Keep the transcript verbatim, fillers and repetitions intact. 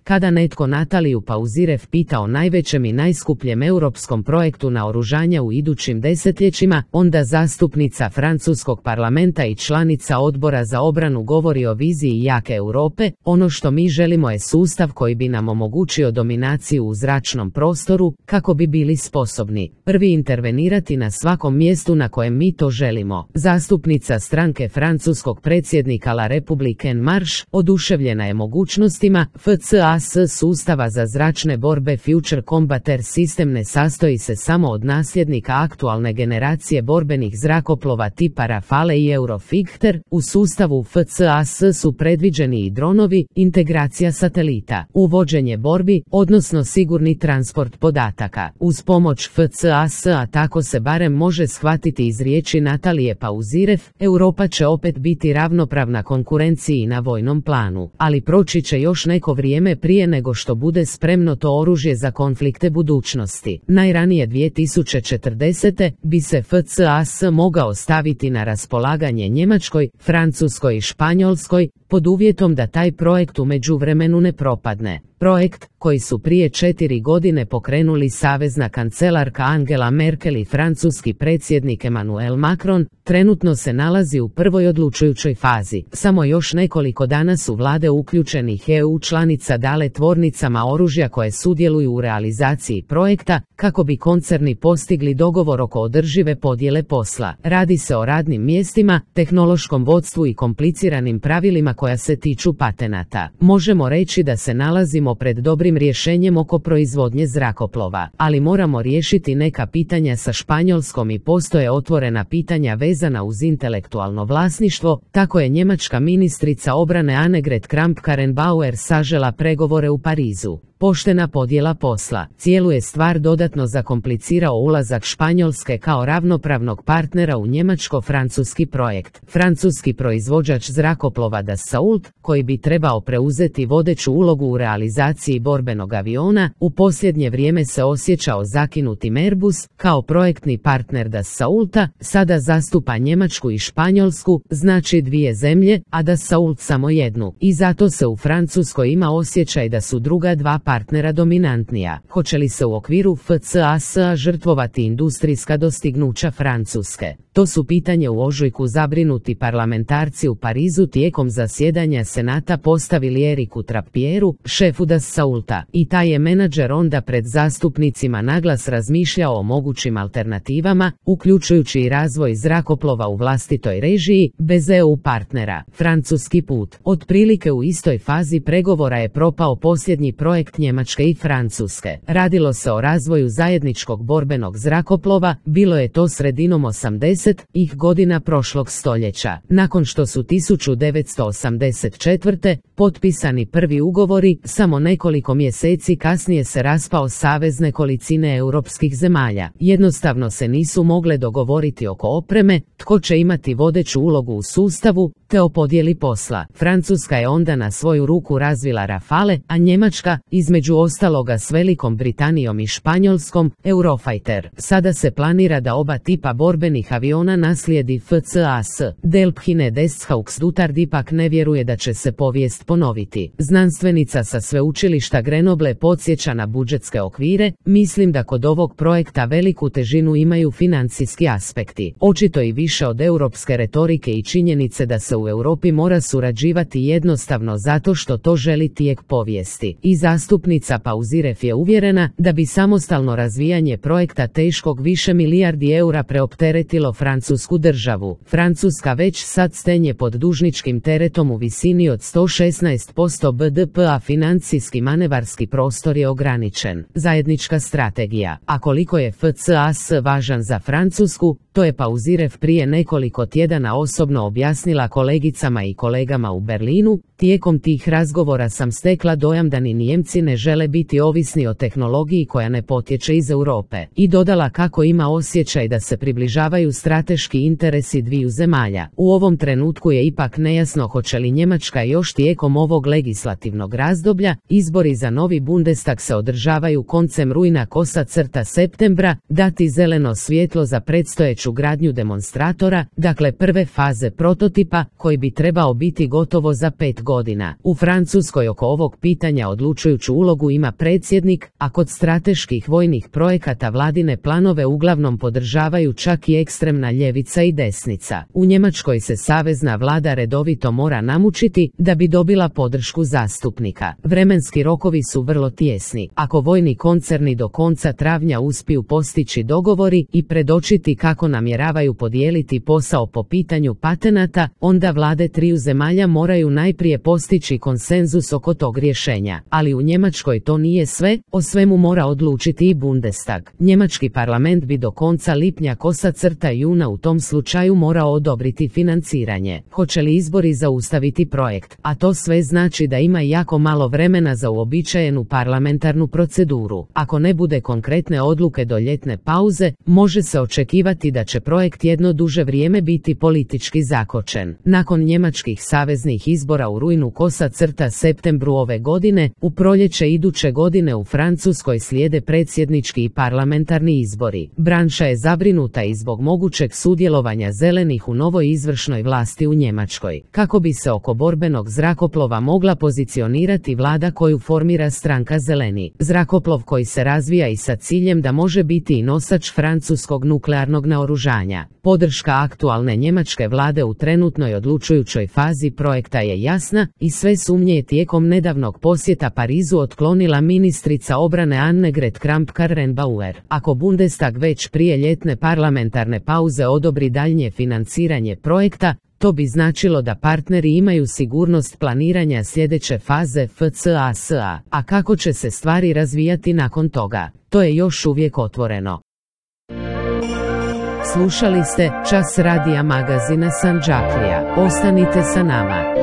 Kada netko Nataliju Pauzirev pita o najvećem i najskupljem europskom projektu naoružanja u idućim desetljećima, onda zastupnica francuskog parlamenta i članica odbora za obranu govori o viziji jake Europe. Ono što mi želimo je sustav koji bi nam omogućio dominaciju u zračnom prostoru, kako bi bili sposobni prvi intervenirati na svakom mjestu na kojem mi to želimo. Zastupnica stranke francuskog predsjednika La République En Marche oduševljena je mogućnostima F C A S sustava za zračne borbe. Future Combat Air System ne sastoji se samo od nasljednika aktualne generacije borbenih zrakoplova tipa Rafale i Eurofighter. U sustavu F C A S su predviđeni i dronovi, integracija satelita, uvođenje borbi, odnosno sigurni transport podataka. Uz pomoć F C A S, a tako se barem može shvatiti iz riječi Natalije Pauzirev, Europa će opet biti ravnopravna konkurenciji na vojnom planu, ali proći će još neko vrijeme prije nego što bude spremno to oružje za konflikte budućnosti. Najranije dvije tisuće četrdesete bi se F C A S mogao staviti na raspolaganje Njemačkoj, Francuskoj i Španjolskoj, pod uvjetom da taj projekt u međuvremenu ne propadne. Projekt, koji su prije četiri godine pokrenuli savezna kancelarka Angela Merkel i francuski predsjednik Emmanuel Macron, trenutno se nalazi u prvoj odlučujućoj fazi. Samo još nekoliko dana su vlade uključenih E U članica dale tvornicama oružja koje sudjeluju u realizaciji projekta, kako bi koncerni postigli dogovor oko održive podjele posla. Radi se o radnim mjestima, tehnološkom vodstvu i kompliciranim pravilima koja se tiču patenata. Možemo reći da se nalazimo pred dobrim rješenjem oko proizvodnje zrakoplova, ali moramo riješiti neka pitanja sa Španjolskom i postoje otvorena pitanja vezana uz intelektualno vlasništvo. Tako je njemačka ministrica obrane Annegret Kramp-Karrenbauer sažela pregovore u Parizu. Poštena podjela posla. Cijelu je stvar dodatno zakomplicirao ulazak Španjolske kao ravnopravnog partnera u njemačko-francuski projekt. Francuski proizvođač zrakoplova Dassault, koji bi trebao preuzeti vodeću ulogu u realizaciji borbenog aviona, u posljednje vrijeme se osjećao zakinutim. Airbus, kao projektni partner Dassaulta, sada zastupa Njemačku i Španjolsku, znači dvije zemlje, a Dassault samo jednu. I zato se u Francuskoj ima osjećaj da su druga dva partnera dominantnija. Hoće li se u okviru F C A S-a žrtvovati industrijska dostignuća Francuske? To su pitanje u ožujku zabrinuti parlamentarci u Parizu tijekom zasjedanja Senata postavili Eriku Trapieru, šefu Dassaulta, i taj je menadžer onda pred zastupnicima naglas razmišljao o mogućim alternativama, uključujući i razvoj zrakoplova u vlastitoj režiji, bez E U partnera. Francuski put. Otprilike u istoj fazi pregovora je propao posljednji projekt Njemačke i Francuske. Radilo se o razvoju zajedničkog borbenog zrakoplova, bilo je to sredinom osamdesetih godina prošlog stoljeća. Nakon što su tisuću devetsto osamdeset četvrte potpisani prvi ugovori, samo nekoliko mjeseci kasnije se raspao savez nekolicine europskih zemalja. Jednostavno se nisu mogle dogovoriti oko opreme, tko će imati vodeću ulogu u sustavu, te o podjeli posla. Francuska je onda na svoju ruku razvila Rafale, a Njemačka, između ostaloga s Velikom Britanijom i Španjolskom, Eurofighter. Sada se planira da oba tipa borbenih aviona naslijedi F C A S. Delphine Desthauxdutard ipak ne vjeruje da će se povijest ponoviti. Znanstvenica sa sveučilišta Grenoble podsjeća na budžetske okvire. Mislim da kod ovog projekta veliku težinu imaju financijski aspekti. Očito i više od europske retorike i činjenice da se u Europi mora surađivati jednostavno zato što to želi tijek povijesti. I zastupnica Pauzirev je uvjerena da bi samostalno razvijanje projekta teškog više milijardi eura preopteretilo francusku državu. Francuska već sad stenje pod dužničkim teretom u visini od sto šesnaest posto B D P-a, financijski manevarski prostor je ograničen. Zajednička strategija. A koliko je F C A S važan za Francusku, to je Pauzirev prije nekoliko tjedana osobno objasnila kolegicama i kolegama u Berlinu. Tijekom tih razgovora sam stekla dojam da ni Nijemci ne žele biti ovisni o tehnologiji koja ne potječe iz Europe. I dodala kako ima osjećaj da se približavaju strateški interesi dviju zemalja. U ovom trenutku je ipak nejasno hoće li Njemačka još tijekom ovog legislativnog razdoblja, izbori za novi Bundestag se održavaju koncem rujna kosa crta septembra, dati zeleno svjetlo za predstojeću započet gradnju demonstratora, dakle prve faze prototipa, koji bi trebao biti gotovo za pet godina. U Francuskoj oko ovog pitanja odlučujuću ulogu ima predsjednik, a kod strateških vojnih projekata vladine planove uglavnom podržavaju čak i ekstremna ljevica i desnica. U Njemačkoj se savezna vlada redovito mora namučiti da bi dobila podršku zastupnika. Vremenski rokovi su vrlo tijesni. Ako vojni koncerni do konca travnja uspiju postići dogovori i predočiti kako namjeravaju podijeliti posao po pitanju patenata, onda vlade triju zemalja moraju najprije postići konsenzus oko tog rješenja. Ali u Njemačkoj to nije sve, o svemu mora odlučiti i Bundestag. Njemački parlament bi do konca lipnja kosa crta juna u tom slučaju morao odobriti financiranje. Hoće li izbori zaustaviti projekt? A to sve znači da ima jako malo vremena za uobičajenu parlamentarnu proceduru. Ako ne bude konkretne odluke do ljetne pauze, može se očekivati da će projekt jedno duže vrijeme biti politički zakočen. Nakon njemačkih saveznih izbora u rujnu kosa crta septembru ove godine, u proljeće iduće godine u Francuskoj slijede predsjednički i parlamentarni izbori. Branša je zabrinuta i zbog mogućeg sudjelovanja zelenih u novoj izvršnoj vlasti u Njemačkoj. Kako bi se oko borbenog zrakoplova mogla pozicionirati vlada koju formira stranka Zeleni. Zrakoplov koji se razvija i sa ciljem da može biti i nosač francuskog nuklearnog naoružanja. Podrška aktualne njemačke vlade u trenutnoj odlučujućoj fazi projekta je jasna i sve sumnje je tijekom nedavnog posjeta Parizu otklonila ministrica obrane Annegret Kramp-Karrenbauer. Ako Bundestag već prije ljetne parlamentarne pauze odobri daljnje financiranje projekta, to bi značilo da partneri imaju sigurnost planiranja sljedeće faze F C A S A, a kako će se stvari razvijati nakon toga, to je još uvijek otvoreno. Slušali ste Čas radija magazina Sandžaklija. Ostanite sa nama.